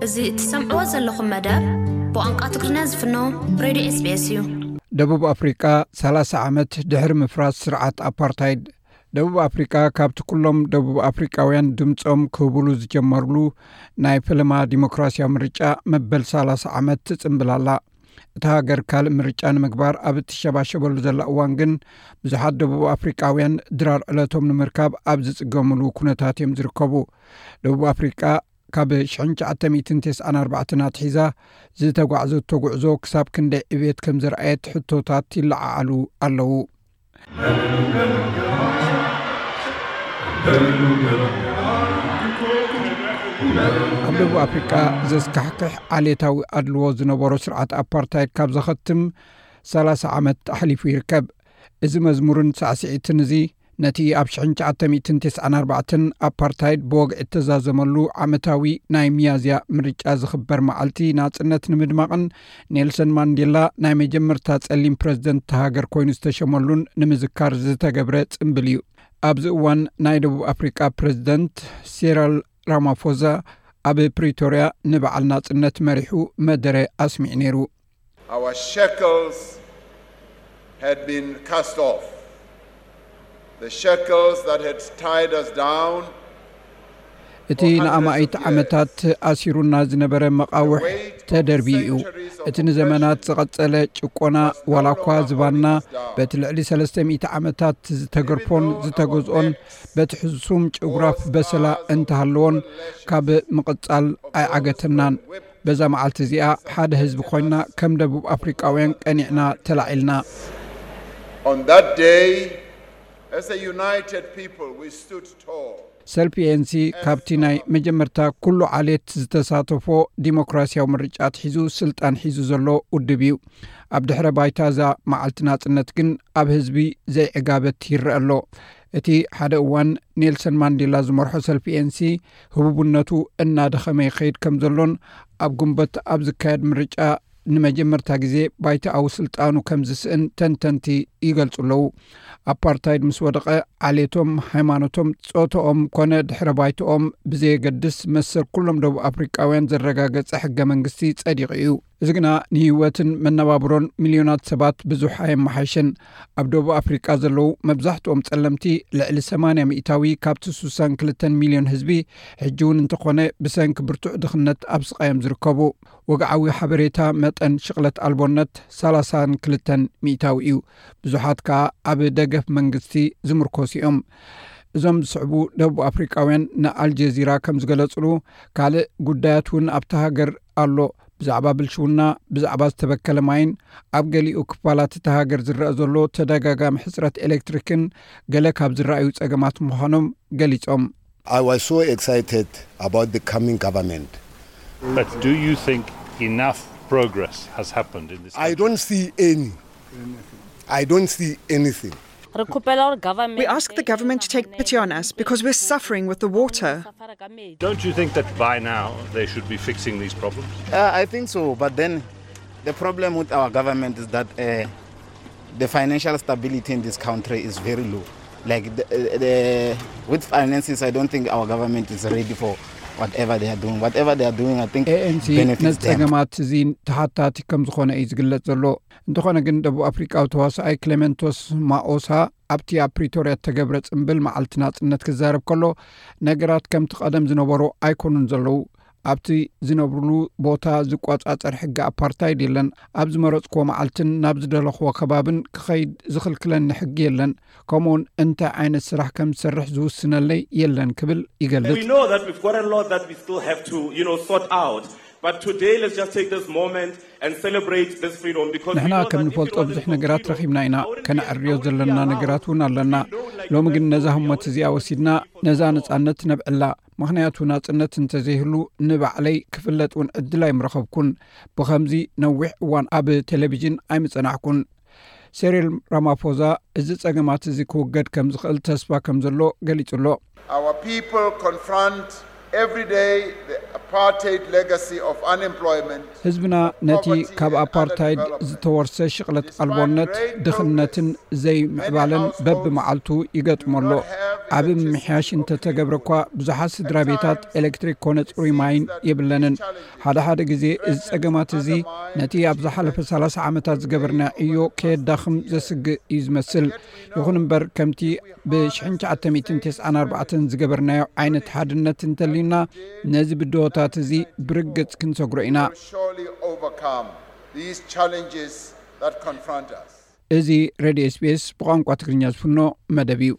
እዚ እትሰምዕዎ ዘለኹም መደብ ብቋንቋ ትግርኛ ዝፍኖ ሬድዮ ኤስቢኤስ እዩ። ደቡብ ኣፍሪቃ ሰላሳ ዓመት ድሕሪ ምፍራስ ስርዓት ኣፓርታይድ። ደቡብ ኣፍሪቃ ካብቲ ኩሎም ደቡብ ኣፍሪቃውያን ድምጾም ክህቡሉ ዝጀመርሉ ናይ ፈለማ ዲሞክራሲያዊ ምርጫ መበል ሰላሳ ዓመት ትጽንብል ኣላ። እታ ሃገር ካልእ ምርጫ ንምግባር ኣብ እትሸባሸበሉ ዘላ እዋን ግን ብዙሓት ደቡብ ኣፍሪቃውያን ድራር ዕለቶም ንምርካብ ኣብ ዝጽገምሉ ኩነታት እዮም ዝርከቡ። ደቡብ ኣፍሪቃ ካብ ሽሕን ትሽዓተ ሚእትን ተስዓን ኣርባዕተን ኣትሒዛ ዝተጓዕዘቶ ጉዕዞ ክሳብ ክንደይ ዕብየት ከም ዘርኣየት ሕቶታት ይለዓዓሉ ኣለዉ። ኣብ ደቡብ ኣፍሪቃ ዘስካሕክሕ ዓሌታዊ ኣድልዎ ዝነበሮ ስርዓት ኣፓርታይድ ካብ ዘኸትም ሰላሳ ዓመት ኣሕሊፉ ይርከብ። እዚ መዝሙርን ሳዕስዒትን እዚ ነቲ ኣብ ሽሕን ትሽዓተ ሚእትን ተስዓን ኣርባዕተን ኣፓርታይድ ብወግዒ እተዛዘመሉ ዓመታዊ ናይ ሚያዝያ ምርጫ ዝኽበር መዓልቲ ናጽነት ንምድማቕን ኔልሰን ማንዴላ ናይ መጀመርታ ጸሊም ፕረዚደንት እታ ሃገር ኮይኑ ዝተሸመሉን ንምዝካር ዝተገብረ ጽምብል እዩ። ኣብዚ እዋን ናይ ደቡብ ኣፍሪቃ ፕረዚደንት ሲራል ራማፎዛ ኣብ ፕሪቶርያ ንበዓል ናጽነት መሪሑ መደረ ኣስሚዑ ነይሩ። Our shackles had been cast off. The shackles that had tied us down እቲ ንኣማኢት ዓመታት ኣሲሩና ዝነበረ መቓውሕ ተደርብዩ እዩ። እቲ ንዘመናት ዝቐጸለ ጭቆና፣ ዋላ እኳ ዝባንና በቲ ልዕሊ ሰለስተ ሚእቲ ዓመታት ዝተገርፎን ዝተገዝኦን በቲ ሕሱም ጭጉራፍ በሰላ እንተሃለዎን፣ ካብ ምቕጻል ኣይዓገተናን። በዛ መዓልቲ እዚኣ ሓደ ህዝቢ ኮይና ከም ደቡብ ኣፍሪቃውያን ቀኒዕና ተላዒልና። On that day, as a united people, we stood tall. ሰልፊ ኤንሲ ካብቲ ናይ መጀመርታ ኩሉ ዓሌት ዝተሳተፎ ዲሞክራሲያዊ ምርጫ ኣትሒዙ ስልጣን ሒዙ ዘሎ ውድብ እዩ። ኣብ ድሕረ ባይታ እዛ መዓልቲ ናጽነት ግን ኣብ ህዝቢ ዘይዕጋበት ይረአ ኣሎ። እቲ ሓደ እዋን ኔልሰን ማንዴላ ዝመርሖ ሰልፊ ኤንሲ ህቡብነቱ እናደኸመ ይኸይድ ከም ዘሎን ኣብ ጉንበት ኣብ ዝካየድ ምርጫ ንመጀመርታ ግዜ ባይታኣዊ ስልጣኑ ከም ዝስእን ተንተንቲ ይገልጹ ኣለዉ። ኣፓርታይድ ምስ ወደቐ ዓሌቶም፣ ሃይማኖቶም፣ ጾታኦም ኮነ ድሕረ ባይታኦም ብዘየገድስ መሰል ኩሎም ደቡብ ኣፍሪቃውያን ዘረጋገጸ ሕገ መንግስቲ ጸዲቑ እዩ። እዚ ግና ንህይወትን መነባብሮን ሚልዮናት ሰባት ብዙሕ ኣየመሓየሸን። ኣብ ደቡብ ኣፍሪቃ ዘለዉ መብዛሕትኦም ጸለምቲ ልዕሊ ሰማንያ ሚእታዊ ካብቲ ስሳን ክልተን ሚልዮን ህዝቢ ሕጂ እውን እንተኾነ ብሰንኪ ብርቱዕ ድኽነት ኣብ ስቓዮም ዝርከቡ። ወግዓዊ ሓበሬታ መጠን ሽቕለት ኣልቦነት ሰላሳን ክልተን ሚእታዊ እዩ። ብዙሓት ከኣ ኣብ ደገፍ መንግስቲ ዝምርኮሱ እዮም። እዞም ዝስዕቡ ደቡብ ኣፍሪቃውያን ንኣልጀዚራ ከም ዝገለጽሉ፣ ካልእ ጉዳያት እውን ኣብታ ሃገር ኣሎ። ብዛዕባ ብልሽውና፣ ብዛዕባ ዝተበከለ ማይን ኣብ ገሊኡ ክፋላት እታ ሃገር ዝረኣ ዘሎ ተደጋጋሚ ሕጽረት ኤሌክትሪክን ገለ ካብ ዝረኣዩ ጸገማት ምዃኖም ገሊጾም። I was so excited about the coming government. But do you think enough progress has happened in this I don't see any. I don't see anything. We ask the government to take pity on us because we're suffering with the water. Don't you think that by now they should be fixing these problems? Uh, I think so, but then the problem with our government is that uh, the financial stability in this country is very low. Like the, uh, the with finances, I don't think our government is ready for whatever they are doing. Whatever they are doing, I think ኤኤንሲ benefits ነዚ them. ጸገማት እዚ ተሓታቲ ከም ዝኾነ እዩ ዝግለጽ ዘሎ። እንተኾነ ግን ደቡብ ኣፍሪቃዊ ተዋሳኣይ ክሌመንቶስ ማኦሳ ኣብቲ ኣብ ፕሪቶርያ እተገብረ ጽምብል መዓልቲ ናጽነት ክዛረብ ከሎ፣ ነገራት ከምቲ ቀደም ዝነበሩ ኣይኮኑን ዘለዉ። ኣብቲ ዝነብሩሉ ቦታ ዝቆጻጸር ሕጊ ኣፓርታይድ የለን። ኣብ ዝመረጽክዎ መዓልትን ናብ ዝደለኽዎ ከባብን ክኸይድ ዝኽልክለኒ ሕጊ የለን። ከምኡውን እንታይ ዓይነት ስራሕ ከም ዝሰርሕ ዝውስነለይ የለን ክብል ይገልጽ። We know that we've got a lot that we still have to, you know, sort out. But today, let's just take this moment and celebrate this freedom because we ንሕና know ከም that if it ንፈልጦ wasn't ብዙሕ for ነገራት freedom, ረኺብና ኢና። I wouldn't be, ከነዕርዮ I wouldn't be ዘለና allowed ነገራት እውን ኣለና። to feel like ሎሚ that ግን ነዛ freedom ህሞት was እዚኣ ወሲድና ነዛ ነጻነት ክነብዕላ። ምኽንያቱ ናጽነት እንተዘይህሉ ንባዕለይ ክፍለጥ እውን ዕድል ኣይምረኸብኩን። ብኸምዚ ነዊሕ እዋን ኣብ ቴሌቪዥን ኣይምጸናሕኩን። ሴሪል ራማፎዛ እዚ ጸገማት እዚ ክውገድ ከም ዝኽእል ተስፋ ከም ዘሎ ገሊጹ ኣሎ። Our people confront every day the apartheid legacy of unemployment. ህዝብና ነቲ ካብ ኣፓርታይድ ዝተወርሰ ሽቕለት ኣልቦነት፣ ድኽነትን ዘይምዕባለን በብመዓልቱ ይገጥሞ ኣሎ። ዓቢ ምምሕያሽ እንተተገብረ እኳ፣ ብዙሓት ስድራ ቤታት ኤሌክትሪክ ኮነ ጽሩይ ማይን የብለንን። ሓደ ሓደ ግዜ እዚ ጸገማት እዚ ነቲ ኣብ ዝሓለፈ ሰላሳ ዓመታት ዝገበርና ዕዮ ከየዳኽም ዘስግእ እዩ ዝመስል። ይኹን እምበር፣ ከምቲ ብ ትሽዓተ ሚእትን ተስዓን ኣርባዕተን ዝገበርናዮ ዓይነት ሓድነት እንተልዩና፣ ነዚ ብድሆታት እዚ ብርግጽ ክንሰግሮ ኢና። Surely overcome these challenges that confront us. እዚ ሬድዮ ኤስቢኤስ ብቋንቋ ትግርኛ ዝፍኖ መደብ እዩ።